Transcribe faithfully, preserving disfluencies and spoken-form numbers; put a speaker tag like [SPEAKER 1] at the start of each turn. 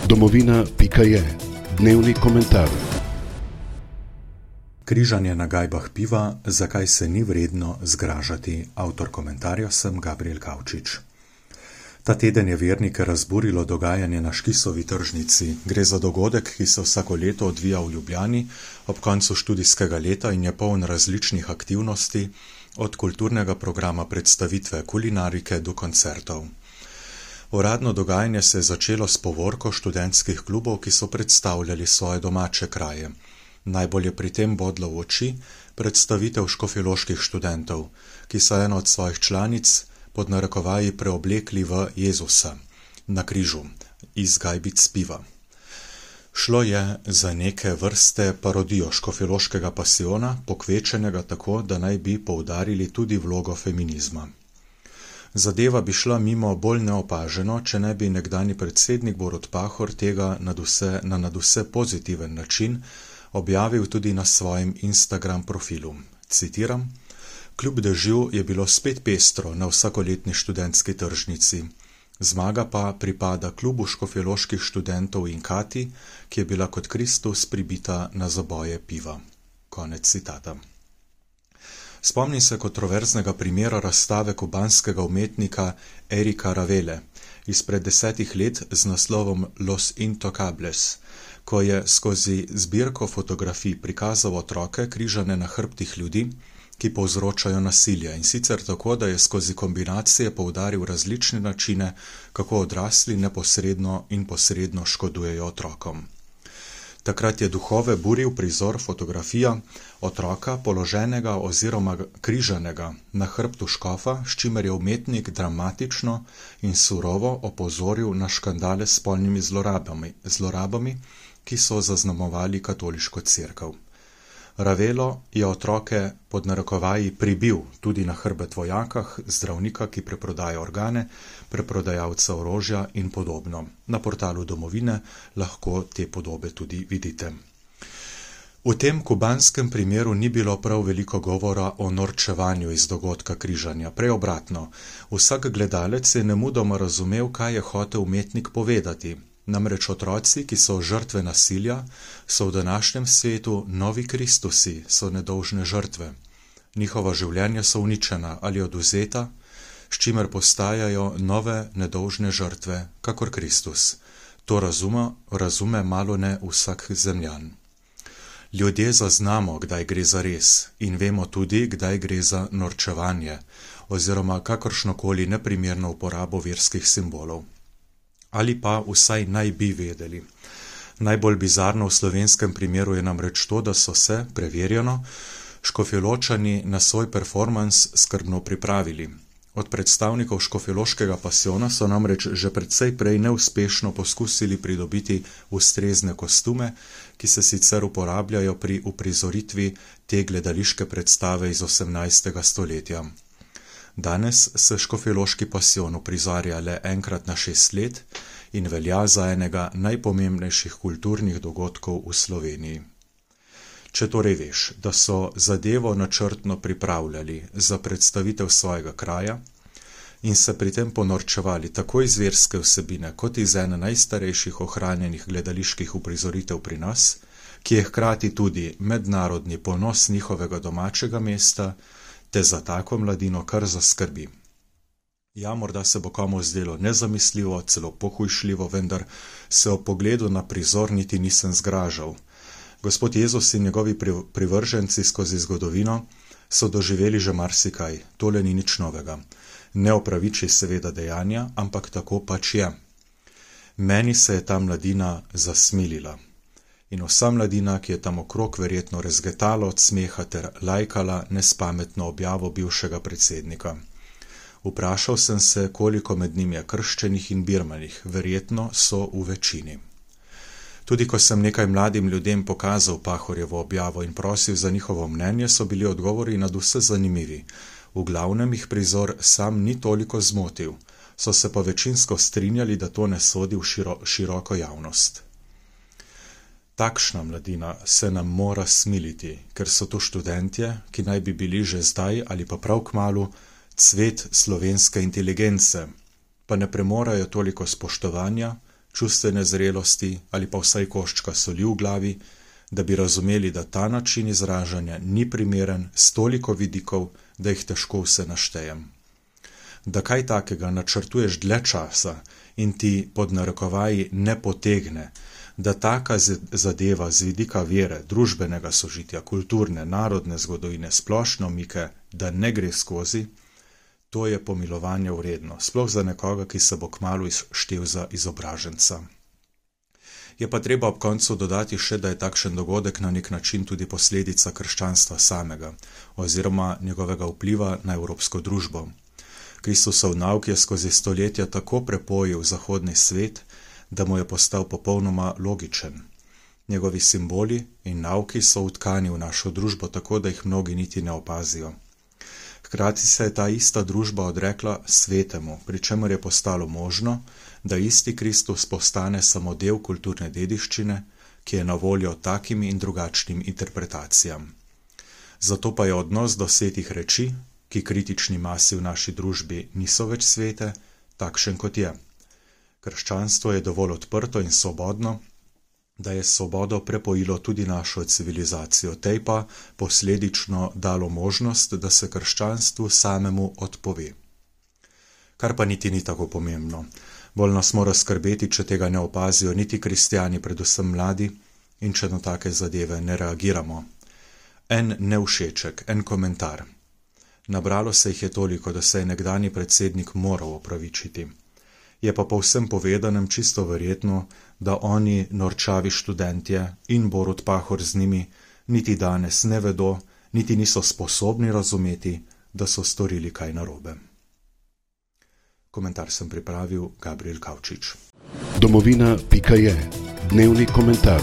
[SPEAKER 1] Domovina pika je dnevni komentar.
[SPEAKER 2] Križanje na gajbah piva, zakaj se ni vredno zgražati. Avtor komentarja sem Gabriel Kavčič. Ta teden je vernike razburilo dogajanje na Škisovi tržnici. Gre za dogodek, ki se vsako leto odvija v Ljubljani ob koncu študijskega leta in je poln različnih aktivnosti, od kulturnega programa predstavitve kulinarike do koncertov. Uradno dogajanje se je začelo s povorko študentskih klubov, ki so predstavljali svoje domače kraje. Najbolj je pri tem bodlo v oči predstavitev škofjeloških študentov, ki so eno od svojih članic pod narekovaji preoblekli v Jezusa na križu iz gajbic piva. Šlo je za neke vrste parodijo škofjeloškega pasijona, pokvečenega tako, da naj bi poudarili tudi vlogo feminizma. Zadeva bi šla mimo bolj neopaženo, če ne bi nekdanji predsednik Borut Pahor tega nadvse, na nadvse pozitiven način objavil tudi na svojem Instagram profilu. Citiram: "Kljub dežju je bilo spet pestro na vsakoletni študentski tržnici. Zmaga pa pripada klubu škofjeloških študentov in Kati, ki je bila kot Kristus pribita na zaboje piva." Konec citata. Spomnim se kontroverznega primera razstave kubanskega umetnika Erika Ravele izpred desetih let z naslovom Los Intocables, ko je skozi zbirko fotografij prikazal otroke križane na hrbtih ljudi, ki povzročajo nasilje, in sicer tako, da je skozi kombinacije poudaril različne načine, kako odrasli neposredno in posredno škodujejo otrokom. Takrat je duhove buril prizor fotografija otroka položenega oziroma križanega na hrbtu škofa, s čimer je umetnik dramatično in surovo opozoril na škandale s spolnimi zlorabami, zlorabami, ki so zaznamovali katoliško cerkev. Ravelo je otroke pod narekovaji pribil tudi na hrbet vojakah, zdravnika, ki preprodaja organe, preprodajalca orožja in podobno. Na portalu Domovine lahko te podobe tudi vidite. V tem kubanskem primeru ni bilo prav veliko govora o norčevanju iz dogodka križanja, prej obratno. Vsak gledalec je nemudoma razumel, kaj je hotel umetnik povedati. Namreč otroci, ki so žrtve nasilja, so v današnjem svetu novi Kristusi, so nedolžne žrtve. Njihova življenja so uničena ali odvzeta, s čimer postajajo nove nedolžne žrtve, kakor Kristus. To razume, razume malo ne vsak zemljan. Ljudje zaznamo, kdaj gre za res, in vemo tudi, kdaj gre za norčevanje oziroma kakršnokoli neprimerno uporabo verskih simbolov. Ali pa vsaj naj bi vedeli. Najbolj bizarno v slovenskem primeru je namreč to, da so se, preverjeno, škofjeločani na svoj performans skrbno pripravili. Od predstavnikov škofjeloškega pasijona so namreč že precej prej neuspešno poskusili pridobiti ustrezne kostume, ki se sicer uporabljajo pri uprizoritvi te gledališke predstave iz osemnajstega stoletja. Danes se škofjeloški pasijon uprizarja le enkrat na šest let in velja za enega najpomembnejših kulturnih dogodkov v Sloveniji. Če torej veš, da so zadevo načrtno pripravljali za predstavitev svojega kraja in se pri tem ponorčevali tako iz verske vsebine kot iz ene najstarejših ohranjenih gledaliških uprizoritev pri nas, ki je hkrati tudi mednarodni ponos njihovega domačega mesta, te za tako mladino kar zaskrbi. Ja, morda se bo komu zdelo nezamisljivo, celo pohujšljivo, vendar se ob pogledu na prizor niti nisem zgražal. Gospod Jezus in njegovi privrženci skozi zgodovino so doživeli že marsikaj, tole ni nič novega. Ne opraviči seveda dejanja, ampak tako pač je. Meni se je ta mladina zasmilila. In vsa mladina, ki je tam okrog verjetno rezgetala od smeha ter lajkala nespametno objavo bivšega predsednika. Vprašal sem se, koliko med njimi je krščenih in birmanih, verjetno so v večini. Tudi ko sem nekaj mladim ljudem pokazal Pahorjevo objavo in prosil za njihovo mnenje, so bili odgovori nadvse zanimivi. V glavnem jih prizor sam ni toliko zmotil, so se pa večinsko strinjali, da to ne sodi v širo, široko javnost. Takšna mladina se nam mora smiliti, ker so to študentje, ki naj bi bili že zdaj ali pa prav kmalu cvet slovenske inteligence, pa ne premorajo toliko spoštovanja, čustvene zrelosti ali pa vsaj koščka soli v glavi, da bi razumeli, da ta način izražanja ni primeren s toliko vidikov, da jih težko vse naštejem. Da kaj takega načrtuješ dlje časa in ti pod narekovaji ne potegne, da taka zadeva z vidika vere, družbenega sožitja, kulturne, narodne zgodovine, splošne omike, da ne gre skozi, to je pomilovanje vredno, sploh za nekoga, ki se bo kmalu štel za izobraženca. Je pa treba ob koncu dodati še, da je takšen dogodek na nek način tudi posledica krščanstva samega, oziroma njegovega vpliva na evropsko družbo. Kristusov nauk je skozi stoletja tako prepojil zahodni svet, da mu je postal popolnoma logičen. Njegovi simboli in nauki so vtkani v našo družbo tako, da jih mnogi niti ne opazijo. Hkrati se je ta ista družba odrekla svetemu, pri čemer je postalo možno, da isti Kristus postane samo del kulturne dediščine, ki je na voljo takim in drugačnim interpretacijam. Zato pa je odnos do svetih reči, ki kritični masi v naši družbi niso več svete, takšen kot je. Krščanstvo je dovolj odprto in svobodno, da je svobodo prepojilo tudi našo civilizacijo, tej pa posledično dalo možnost, da se krščanstvu samemu odpove. Kar pa niti ni tako pomembno. Bolj nas mora skrbeti, če tega ne opazijo niti kristjani, predvsem mladi, in če na take zadeve ne reagiramo. En nevšeček, en komentar. Nabralo se jih je toliko, da se je nekdanji predsednik moral opravičiti. Je pa po vsem povedanem čisto verjetno, da oni, norčavi študentje in Borut Pahor z njimi, niti danes ne vedo, niti niso sposobni razumeti, da so storili kaj narobe. Komentar sem pripravil Gabriel Kavčič.
[SPEAKER 1] Domovina pika je. Dnevni komentar.